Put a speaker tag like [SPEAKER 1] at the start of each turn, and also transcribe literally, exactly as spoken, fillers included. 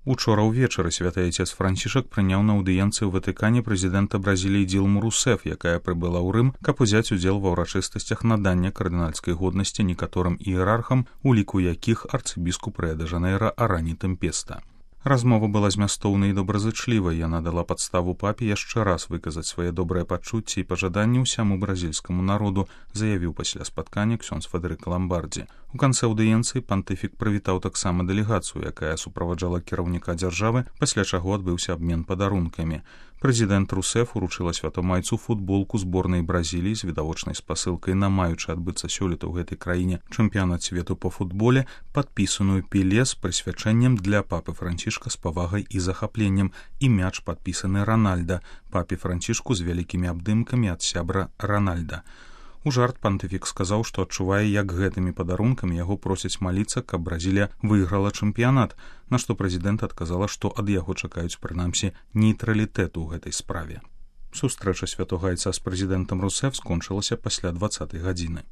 [SPEAKER 1] Учора ўвечары святы айцец Францішак прыняў на аўдыенцыі ў Ватыкане прэзідэнта Бразіліі Дилму Русеф, якая прыбыла ў Рым, каб узяць удзел ва ўрачыстасцях надання кардынальскай годнасці некаторым іерархам, у ліку якіх арцыбіскуп Рыа-дэ-Жанэйра Арані Тэмпеста. Размова была змястоўнай і добразычлівай, яна дала падставу папе яшчэ раз выказаць свае добрыя пачуцці і пажаданні ўсяму бразільскаму народу, заявіў пасля спаткання ксёндз Федэрыка Ламбардзі. У канцы аўдыенцыі пантыфік прывітаў таксама дэлегацыю, якая суправаджала кіраўніка дзяржавы, пасля чаго адбыўся абмен падарункамі. Прэзідэнт Русеф уручыла святому айцу футболку зборнай Бразіліі з відавочнай спасылкай на маючы адбыцца сёлета ў гэтай краіне чэмпіянат свету па футболе, падпісаную Пеле з прысвячэннем для папы Францішка з павагай і захапленнем, і мяч падпісаны Ранальда, папе Францішку з вялікімі абдымкамі ад сябра Ранальда. У жарт пантыфік сказаў, што адчувае, як гэтымі падарункамі яго просяць маліцца, каб Бразілія выйграла чэмпіянат, на што прэзідэнт адказала, што ад яго чакаюць прынамсі нейтралітэту ў гэтай справе. Сустрэча святога айца з прэзідэнтам Русеф скончылася пасля дваццатай гадзіны.